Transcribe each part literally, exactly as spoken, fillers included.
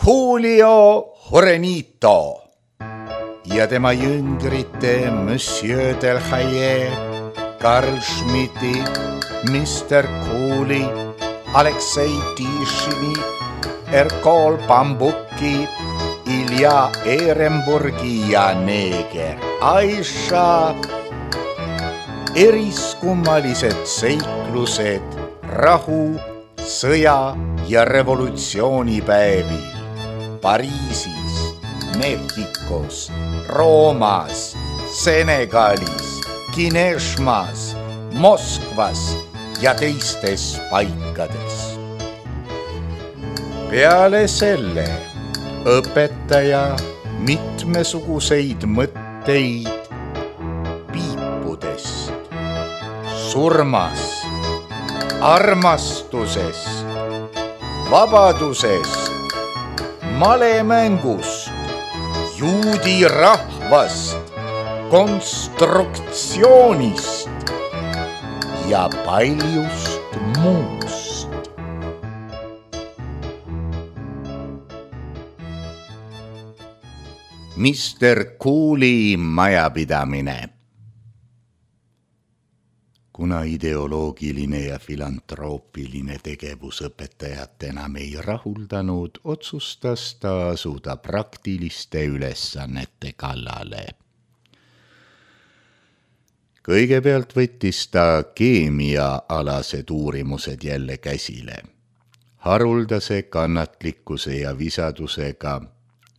Julio Juanito ja tema jüngrite Monsieur Delhaye, Karl Schmidti, mister Cooley, Aleksei Tishini, Erkol Bambuki, Ilja Ehrenburgi ja neeger Aisha. Eriskummalised seiklused rahu, sõja ja revolutsioonipäevil Pariisis, Mehhikos, Roomas, Senegalis, Kineshmas, Moskvas ja teistes paikades. Peale selle õpetaja mitmesuguseid mõtteid piipudest, surmast, armastusest, vabadusest, malemängust, juudi rahvast, konstruktsioonist ja paljust muust. mister Cooley majapidamine. Kuna ideoloogiline ja filantroopiline tegevus õpetajat enam ei rahuldanud, otsustas ta asuda praktiliste ülesannete kallale. Kõigepealt võttis ta keemiaalased uurimused jälle käsile. Haruldase kannatlikkuse ja visadusega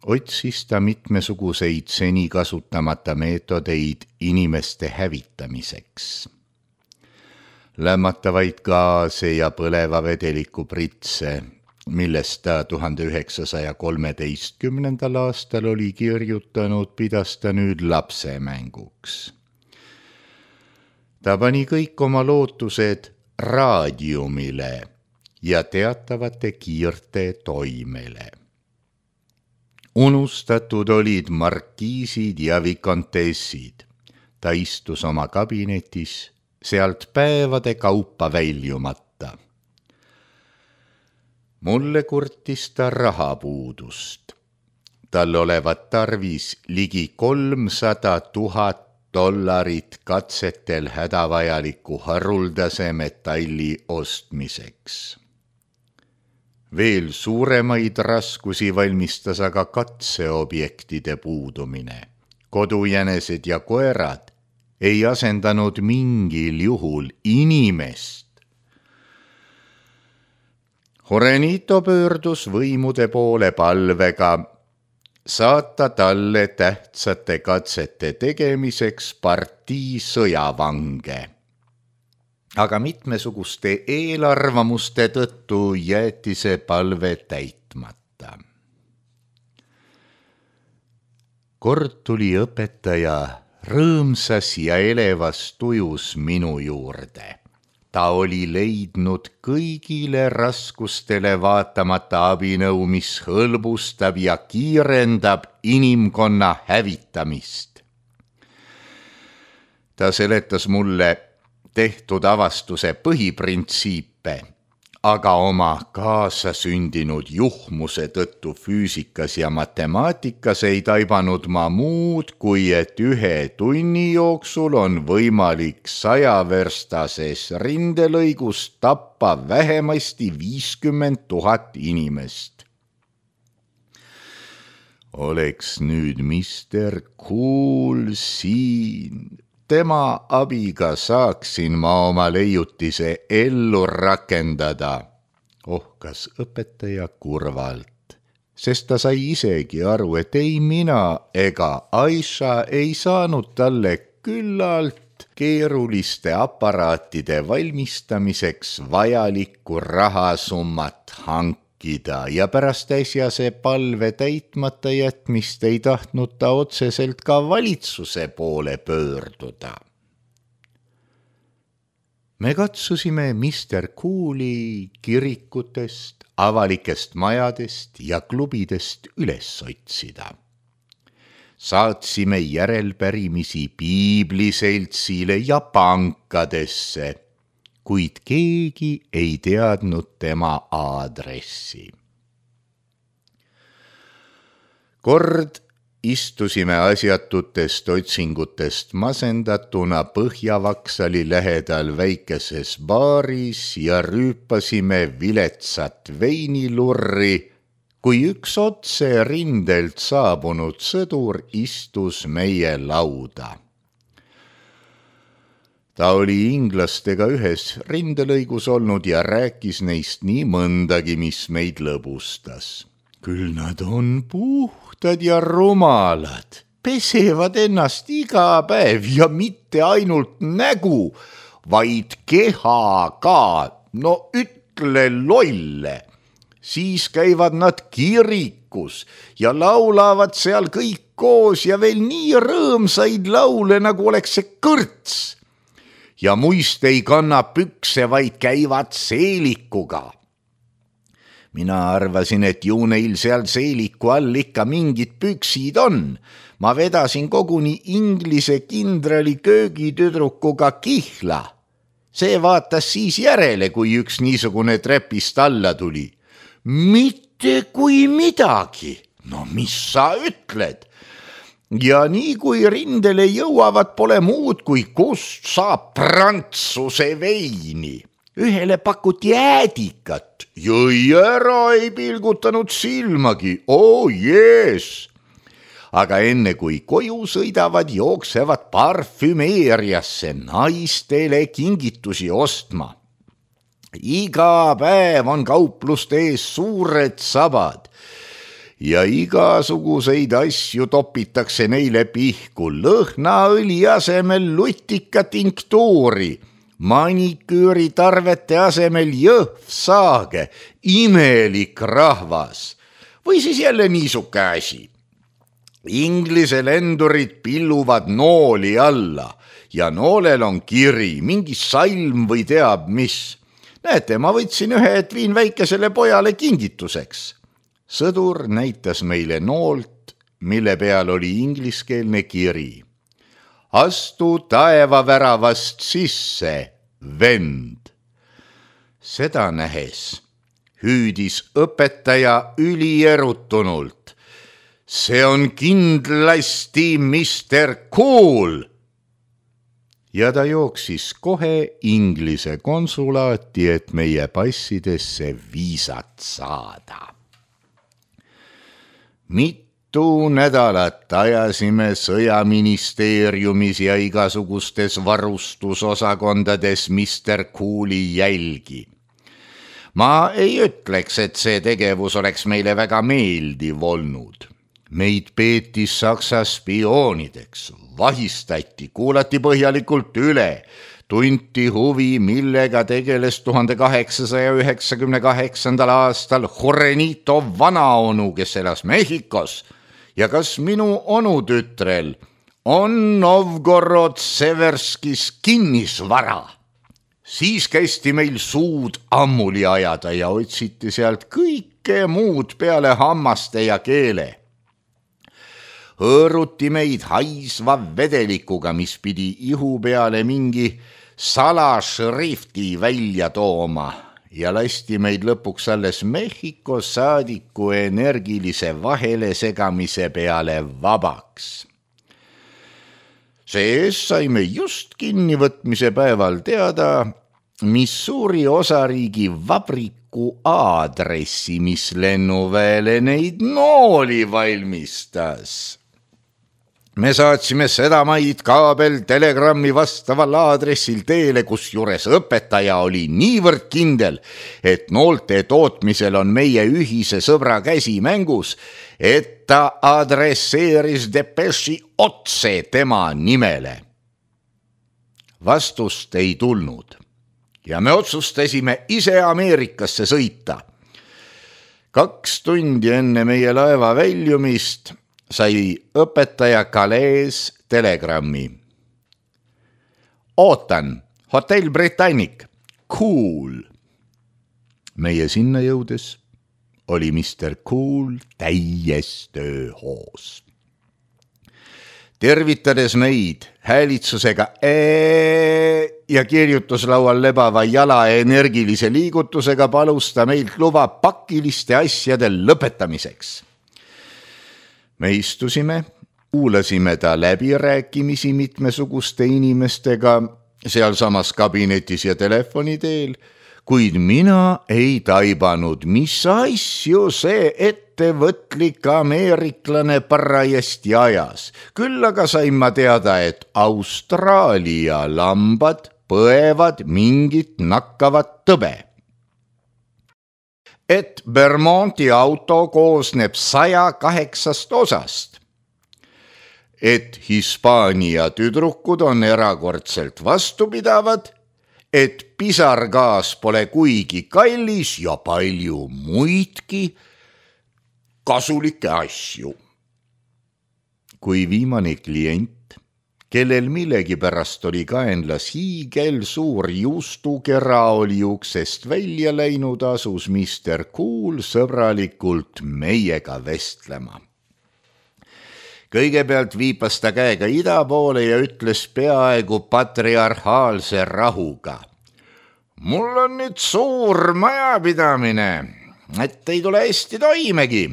otsis ta mitmesuguseid seni kasutamata meetodeid inimeste hävitamiseks. Lämmatavaid gaase ja põleva vedeliku pritse, millest ta tuhande üheksasaja kolmeteistkümnendal aastal oli kirjutanud, pidas ta nüüd lapsemänguks. Ta pani kõik oma lootused raadiumile ja teatavate kiirte toimele. Unustatud olid markiisid ja vikontessid. Ta istus oma kabinetis, sealt päevade kaupa väljumata. Mulle kurtis ta rahapuudust. Tal olevat tarvis ligi kolmsada tuhat dollarit katsetel hädavajaliku haruldase metalli ostmiseks. Veel suuremaid raskusi valmistas aga katseobjektide puudumine. Kodujänesed ja koerad ei asendanud mingil juhul inimest. Juanito pöördus võimude poole palvega saata talle tähtsate katsete tegemiseks partii sõjavange. Aga mitmesuguste eelarvamuste tõttu jäeti see palve täitmata. Kord tuli õpetaja rõõmsas ja elevas tujus minu juurde. Ta oli leidnud kõigile raskustele vaatamata abinõu, mis hõlbustab ja kiirendab inimkonna hävitamist. Ta seletas mulle tehtud avastuse põhiprintsiipe, aga oma kaasasündinud juhmuse tõttu füüsikas ja matemaatikas ei taibanud ma muud, kui et ühe tunni jooksul on võimalik sajaverstases rindelõigus tappa vähemasti viiskümmend tuhat inimest. Oleks nüüd mister Cool siin. Tema abiga saaksin ma oma leiutise ellu rakendada, ohkas õpetaja kurvalt, sest ta sai isegi aru, et ei mina ega Aisha ei saanud talle küllalt keeruliste aparaatide valmistamiseks vajalikku rahasummat hankida ja pärast äsjase palve täitmata jätmist ei tahtnud ta otseselt ka valitsuse poole pöörduda. Me katsusime mister Cooley kirikutest, avalikest majadest ja klubidest üles otsida. Saatsime järelpärimisi piibliseltsile ja pankadesse, kuid keegi ei teadnud tema aadressi. Kord istusime asjatutest otsingutest masendatuna Põhjavaksali lähedal väikeses baaris ja rüüpasime viletsat veinilurri, kui üks otse rindelt saabunud sõdur istus meie lauda. Ta oli inglastega ühes rindelõigus olnud ja rääkis neist nii mõndagi, mis meid lõbustas. Küll nad on puhtad ja rumalad, pesevad ennast iga päev ja mitte ainult nägu, vaid keha ka, no ütle lolle. Siis käivad nad kirikus ja laulavad seal kõik koos ja veel nii rõõmsaid laule, nagu oleks see kõrts. Ja muist ei kanna pükse, vaid käivad seelikuga. Mina arvasin, et ju neil seal seeliku all ikka mingid püksid on. Ma vedasin koguni inglise kindrali köögitüdrukuga kihla. See vaatas siis järele, kui üks niisugune trepist alla tuli. Mitte kui midagi. No mis sa ütled? Ja nii kui rindele jõuavad, pole muud kui kust saab prantsuse veini. Ühele pakuti äädikat, jõi ära, ei pilgutanud silmagi, oo jees. Aga enne kui koju sõidavad, jooksevad parfümeeriasse naistele kingitusi ostma. Iga päev on kaupluste ees suured sabad ja igasuguseid asju topitakse neile pihku, lõhnaõli asemel lutika tinktuuri, maniküüri tarvete asemel jõhvsaage, imelik rahvas. Või siis jälle niisuke asi. Inglise lendurid pilluvad nooli alla ja noolel on kiri, mingi salm või teab mis. Näete, ma võtsin ühe, et viin väikesele pojale kingituseks. Sõdur näitas meile noolt, mille peal oli ingliskeelne kiri. Astu taevaväravast sisse, vend. Seda nähes hüüdis õpetaja ülierutunult. See on kindlasti mister Cool. Ja ta jooksis kohe Inglise konsulaati, et meie passidesse viisat saada. Mitu nädalat ajasime sõjaministeeriumis ja igasugustes varustusosakondades mister Cooli jälgi. Ma ei ütleks, et see tegevus oleks meile väga meeldiv olnud. Meid peeti Saksa spioonideks, vahistati, kuulati põhjalikult üle, tunti huvi, millega tegeles tuhande kaheksasaja üheksakümne kaheksandal aastal Jurenito vanaonu, kes elas Mehhikos, ja kas minu onutütrel on Novgorod-Severskis kinnisvara. Siis kästi meil suud ammuli ajada ja otsiti sealt kõike muud peale hammaste ja keele. Hõõruti meid haisva vedelikuga, mis pidi ihu peale mingi salašrifti välja tooma ja lasti meid lõpuks alles Mehhiko saadiku energilise vahele segamise peale vabaks. Sees saime just kinnivõtmise päeval teada Missouri osariigi vabriku aadressi, mis lennuväele neid nooli valmistas. Me saatsime sedamaid kaabel telegrammi vastaval aadressil teele, kus juures õpetaja oli niivõrd kindel, et noolte tootmisel on meie ühise sõbra käsi mängus, et ta adresseeris depeši otse tema nimele. Vastust ei tulnud ja me otsustasime ise Ameerikasse sõita. Kaks tundi enne meie laeva väljumist sai õpetaja Calais telegrammi. Ootan, hotell Britannic, Cool. Meie sinna jõudes oli mister Cool täies tööhoos. Tervitades meid häälitsusega ee ja kirjutuslaual lebava jala energilise liigutusega palus ta meilt luba pakiliste asjade lõpetamiseks. me istusime, kuulasime ta läbirääkimisi mitmesuguste inimestega sealsamas kabinetis ja telefoni teel, kuid mina ei taibanud, mis asju see ettevõtlik ameeriklane parajasti ajas. Küll aga sain ma teada, et Austraalia lambad põevad mingit nakkavat tõbe. Et Vermonti auto koosneb saja kaheksast osast. Et Hispaania tüdrukud on erakordselt vastupidavad, et pisargaas pole kuigi kallis ja palju muidki kasulikke asju. Kui viimane klient, kellel millegipärast oli kaenlas hiigel suur juustukera, oli uksest välja läinud, asus mister Cool sõbralikult meiega vestlema. Kõigepealt viipas ta käega ida poole ja ütles peaaegu patriarhaalse rahuga. Mul on nüüd suur majapidamine, et ei tule hästi toimegi.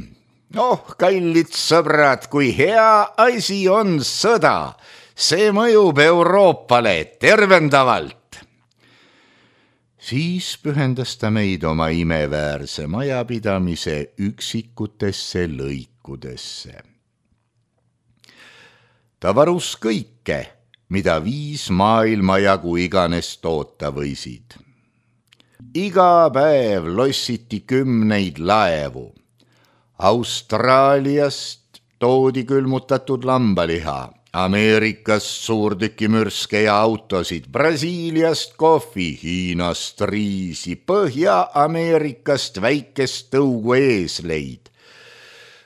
Oh, kallid sõbrad, kui hea asi on sõda. See mõjub Euroopale tervendavalt. Siis pühendas ta meid oma imeväärse majapidamise üksikutesse lõikudesse. Ta varus kõike, mida viis maailma jagu iganes toota võisid. Iga päev lossiti kümneid laevu. Austraaliast toodi külmutatud lambaliha, Ameerikast suurtükimürske ja autosid, Brasiiliast kohvi, Hiinast riisi, Põhja-Ameerikast väikest tõugu eesleid.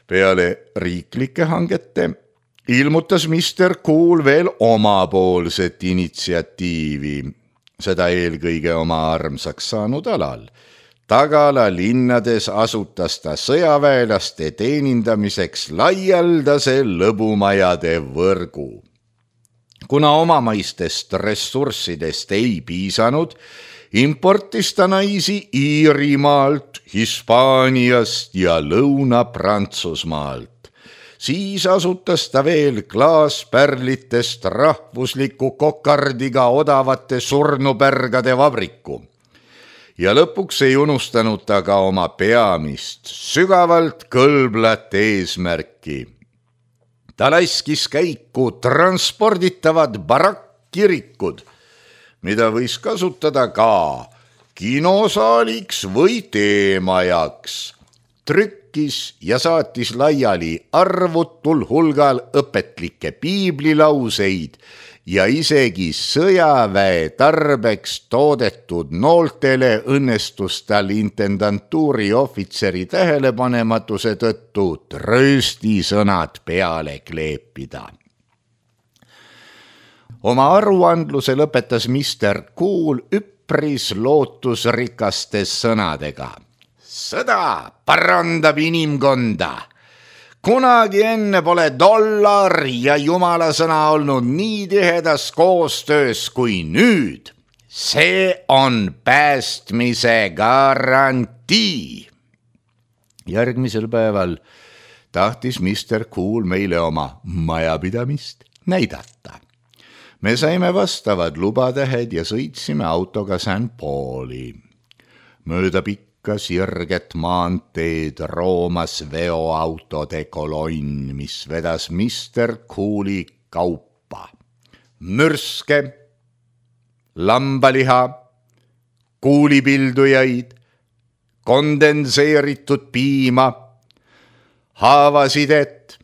Peale riiklike hangete ilmutas mister Cool veel omapoolset initsiatiivi, seda eelkõige oma armsaks saanud alal. Tagala linnades asutas ta sõjaväelaste teenindamiseks laialdase lõbumajade võrgu. Kuna omamaistest ressurssidest ei piisanud, importis ta naisi Iirimaalt, Hispaaniast ja Lõuna-Prantsusmaalt. Siis asutas ta veel klaaspärlitest rahvusliku kokardiga odavate surnupärgade vabriku. Ja lõpuks ei unustanud ta ka oma peamist, sügavalt kõlblat eesmärki. Ta laskis käiku transporditavad barakkirikud, mida võis kasutada ka kinosaaliks või teemajaks. Trükkis ja saatis laiali arvutul hulgal õpetlikke piiblilauseid ja isegi sõjaväe tarbeks toodetud nooltele õnnestus tal intendantuuri ohvitseri tähelepanematuse tõttu trööstisõnad peale kleepida. Oma aruandluse lõpetas mister Cool üpris lootusrikastes sõnadega. Sõda parandab inimkonda. Kunagi enne pole dollar ja jumala sõna olnud nii tihedas koostöös kui nüüd. See on päästmise garantii. Järgmisel päeval tahtis mister Cool meile oma majapidamist näidata. Me saime vastavad lubatähed ja sõitsime autoga Saint Pauli. Mööda pikka sirget maanteed roomas veoautode kolonn, mis vedas mister Cooli kaupa. Mürske, lambaliha, kuulipildujaid, kondenseeritud piima, haavasidet,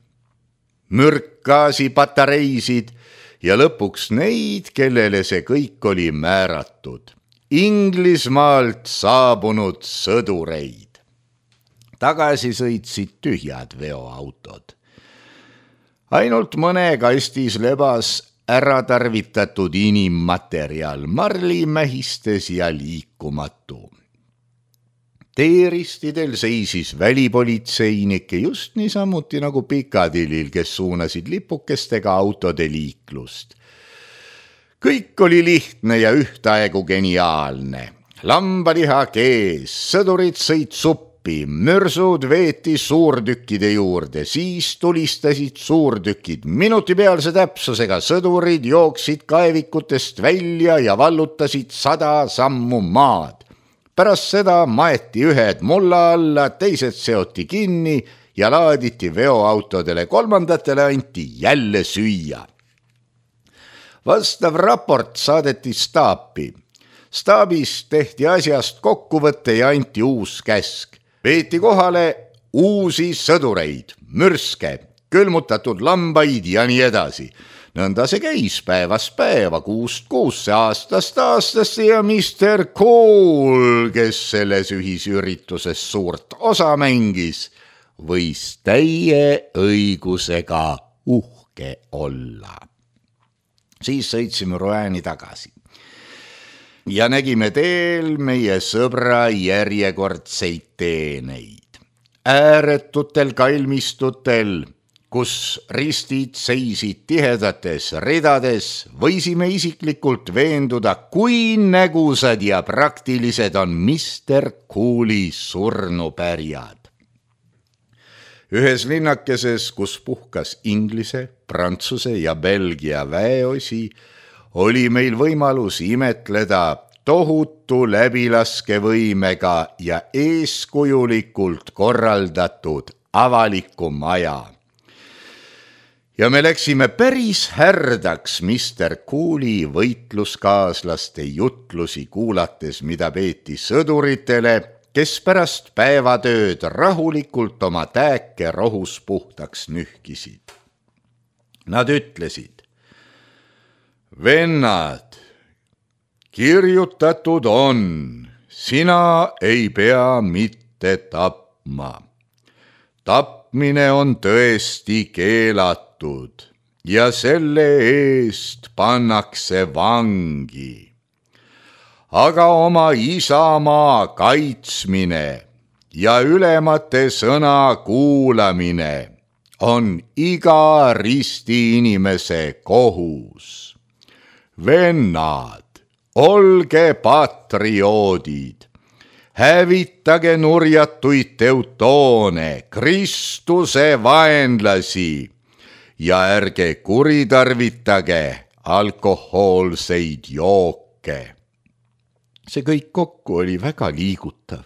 mürkgaasi patareisid ja lõpuks neid, kellele see kõik oli määratud. Inglismaalt saabunud sõdureid. Tagasi sõitsid tühjad veoautod. Ainult mõne kastis lebas ära tarvitatud inimmaterjal, marlimähistes ja liikumatu. Teeristidel seisis välipolitseinike just niisamuti nagu Pikadillil, kes suunasid lipukestega autode liiklust. Kõik oli lihtne ja ühtaegu geniaalne. Lambaliha kees, sõdurid sõid suppi mürsud veeti suurtükkide juurde, siis tulistasid suurtükid. Minutipealse täpsusega sõdurid jooksid kaevikutest välja ja vallutasid sada sammu maad. Pärast seda maeti ühed mulla alla, teised seoti kinni ja laaditi veoautodele, kolmandatele anti jälle süüa. Vastav raport saadeti staapi. Staabis tehti asjast kokkuvõtte ja anti uus käsk. Veeti kohale uusi sõdureid, mürske, külmutatud lambaid ja nii edasi. Nõnda see käis päevast päeva, kuust kuusse, aastast aastasse ja mister Cool, kes selles ühisürituses suurt osa mängis, võis täie õigusega uhke olla. Siis sõitsime Rouen'i tagasi ja nägime teel meie sõbra järjekordseid teeneid. Ääretutel kalmistutel, kus ristid seisid tihedates ridades, võisime isiklikult veenduda, kui nägusad ja praktilised on mister Cooli surnupärjad. Ühes linnakeses, kus puhkas Inglise, Prantsuse ja Belgia väeosi, oli meil võimalus imetleda tohutu läbilaskevõimega ja eeskujulikult korraldatud avaliku maja. Ja me läksime päris härdaks mister Cooli võitluskaaslaste jutlusi kuulates, mida peeti sõduritele, kes pärast päevatööd rahulikult oma tääke rohus puhtaks nühkisid. Nad ütlesid: vennad, kirjutatud on, sina ei pea mitte tapma. Tapmine on tõesti keelatud ja selle eest pannakse vangi. Aga oma isamaa kaitsmine ja ülemate sõna kuulamine on iga risti inimese kohus. Vennad, olge patrioodid, hävitage nurjatuid teutoone, Kristuse vaenlasi ja ärge kuritarvitage alkohoolseid jooke. See kõik kokku oli väga liigutav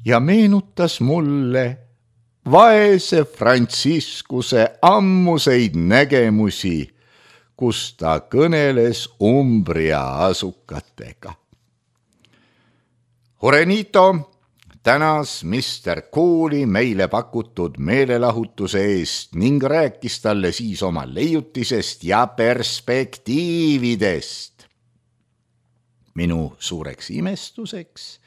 ja meenutas mulle vaese Franciscuse ammuseid nägemusi, kus ta kõneles Umbria asukatega. Jurenito tänas mister Cooli meile pakutud meelelahutuse eest ning rääkis talle siis oma leiutisest ja perspektiividest. Minu suureks imestuseks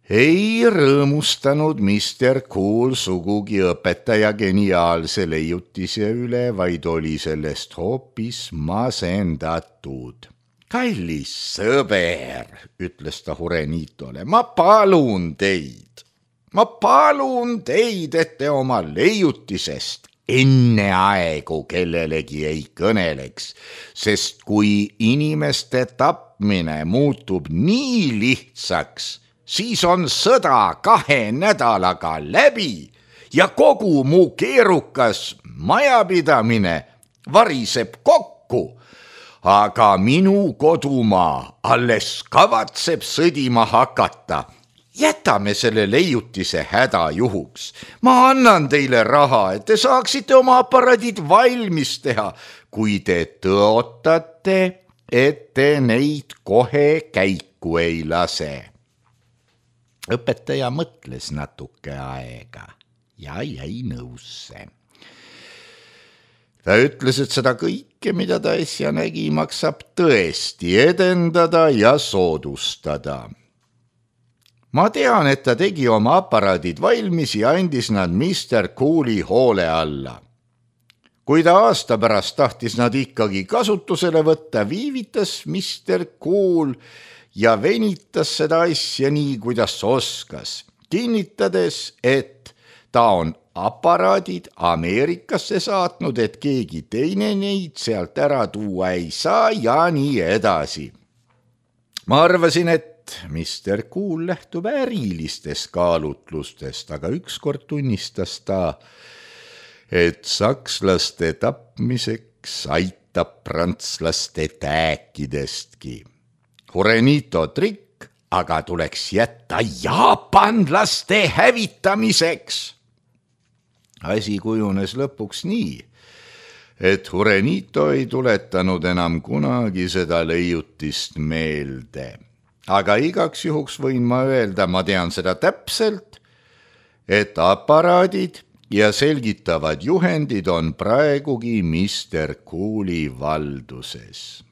ei rõõmustanud mister Cool sugugi õpetaja geniaalse leiutise üle, vaid oli sellest hoopis masendatud. Kallis sõber, ütles ta Jurenitole, ma palun teid, ma palun teid, et te oma leiutisest enne aegu kellelegi ei kõneleks, sest kui inimeste tapmine muutub nii lihtsaks, siis on sõda kahe nädalaga läbi ja kogu mu keerukas majapidamine variseb kokku, aga minu kodumaa alles kavatseb sõdima hakata. Jätame selle leiutise häda juhuks. Ma annan teile raha, et te saaksite oma aparaadid valmis teha, kui te tõotate, et te neid kohe käiku ei lase. Õpetaja mõtles natuke aega ja jäi nõusse. Ta ütles, et seda kõike, mida ta äsja nägi, maksab tõesti edendada ja soodustada. Ma tean, et ta tegi oma aparaadid valmis ja andis nad mister Cooli hoole alla. Kui ta aasta pärast tahtis nad ikkagi kasutusele võtta, viivitas mister Cool ja venitas seda asja nii, kuidas oskas, kinnitades, et ta on aparaadid Ameerikasse saatnud, et keegi teine neid sealt ära tuua ei saa ja nii edasi. Ma arvasin, et et mister Cool lähtub ärilistest kaalutlustest, aga ükskord tunnistas ta, et sakslaste tapmiseks aitab prantslaste tääkidestki. Jurenito trikk, aga tuleks jätta jaapanlaste hävitamiseks. Asi kujunes lõpuks nii, et Jurenito ei tuletanud enam kunagi seda leiutist meelde. Aga igaks juhuks võin ma öelda, ma tean seda täpselt, et aparaadid ja selgitavad juhendid on praegugi mister Cooli valduses.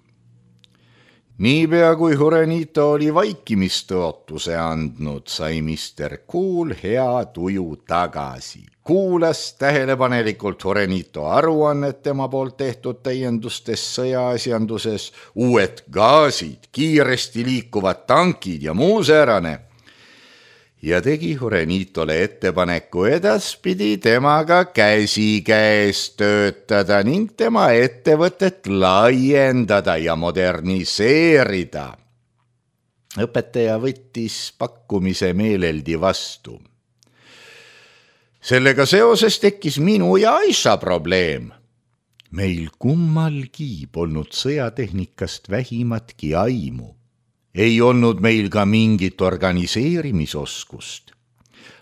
Niipea kui Jurenito oli vaikimistõotuse andnud, sai mister Cool hea tuju tagasi. Kuulas tähelepanelikult Jurenito aruannet tema poolt tehtud täiendustes sõjaasjanduses, uued gaasid, kiiresti liikuvad tankid ja muu säärane. Ja tegi Jurenitole ettepaneku edaspidi temaga käsikäes töötada ning tema ettevõtet laiendada ja moderniseerida. Õpetaja võttis pakkumise meeleldi vastu. Sellega seoses tekkis minu ja Aisha probleem. Meil kummalgi polnud sõjatehnikast vähimatki aimu. Ei olnud meil ka mingit organiseerimisoskust.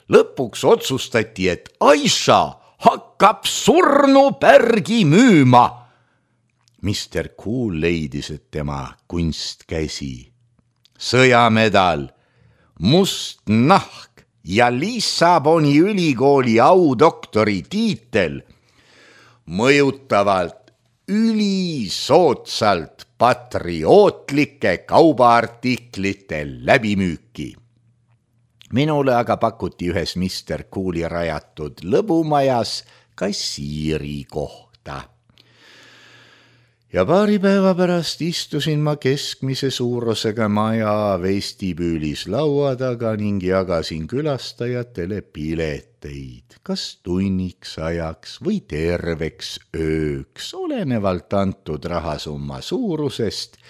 Lõpuks otsustati, et Aisha hakkab surnupärgi müüma. mister Cool leidis, et tema kunstkäsi, sõjamedal, must nahk ja Lissaboni ülikooli audoktori tiitel mõjutavalt ülisoodsalt patriootlike kaubaartiklite läbimüüki. Minule aga pakuti ühes mister Cooli rajatud lõbumajas kassiiri kohta. Ja paari päeva pärast istusin ma keskmise suurusega maja vestibüülis laua taga ning jagasin külastajatele pileteid, kas tunniks ajaks või terveks ööks, olenevalt antud rahasumma suurusest,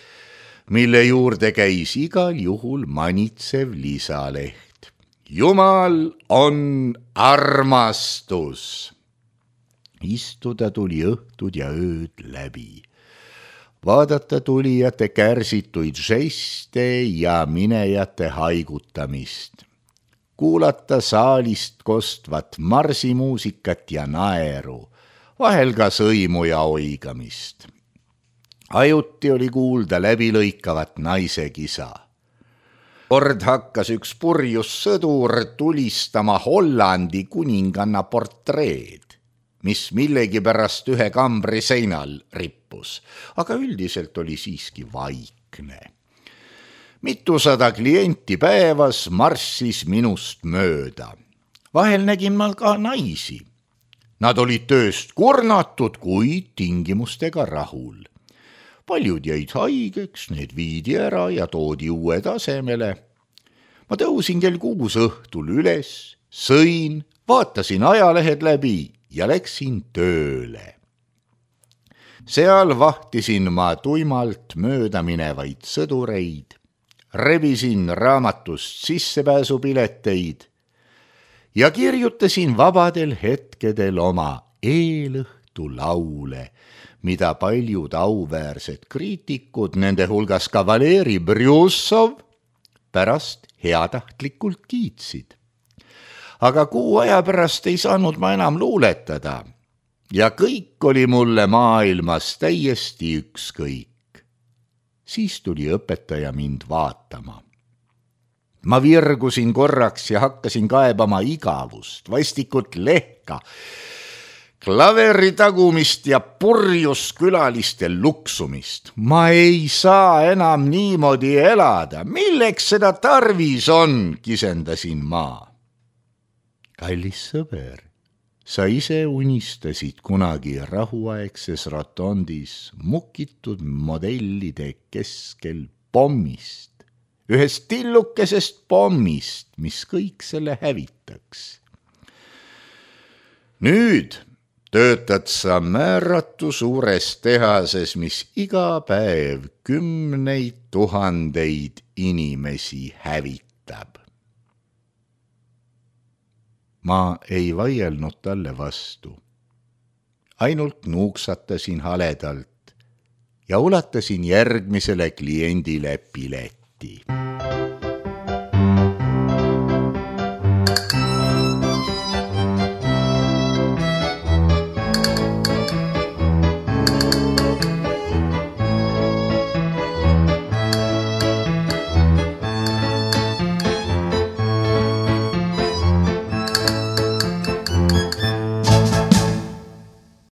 mille juurde käis igal juhul manitsev lisaleht. Jumal on armastus. Istuda tuli õhtud ja ööd läbi. Vaadata tulijate kärsituid žeste ja minejate haigutamist. Kuulata saalist kostvat marsimuusikat ja naeru, vahel ka sõimu ja oigamist. Ajuti oli kuulda läbilõikavat naise kisa. Kord hakkas üks purjus sõdur tulistama Hollandi kuninganna portreed, mis millegi pärast ühe kambri seinal rippus, aga üldiselt oli siiski vaikne. Mitusada klienti päevas marssis minust mööda. Vahel nägin ma ka naisi. Nad olid tööst kurnatud, kuid tingimustega rahul. Paljud jäid haigeks, need viidi ära ja toodi uue tasemele. Ma tõusin kell kuus õhtul üles, sõin, vaatasin ajalehed läbi ja läksin tööle. Seal vahtisin ma tuimalt mööda minevaid sõdureid, rebisin raamatust sissepääsupileteid ja kirjutasin vabadel hetkedel oma eelõhtu laule, mida paljud auväärsed kriitikud, nende hulgas ka Valeri Brjussov, pärast heatahtlikult kiitsid. Aga kuu aja pärast ei saanud ma enam luuletada ja kõik oli mulle maailmas täiesti ükskõik. Siis tuli õpetaja mind vaatama. Ma virgusin korraks ja hakkasin kaebama igavust, vastikut lehka, klaveri tagumist ja purjus külaliste luksumist. Ma ei saa enam niimoodi elada. Milleks seda tarvis on, kisendasin ma. Kallis sõber, sa ise unistasid kunagi rahuaegses rotondis mukitud modellide keskel pommist, ühest tillukesest pommist, mis kõik selle hävitaks. Nüüd töötad sa määratu suures tehases, mis iga päev kümneid tuhandeid inimesi hävitab. Ma ei vaielnud talle vastu. Ainult nuuksatasin haledalt ja ulatasin järgmisele kliendile pileti.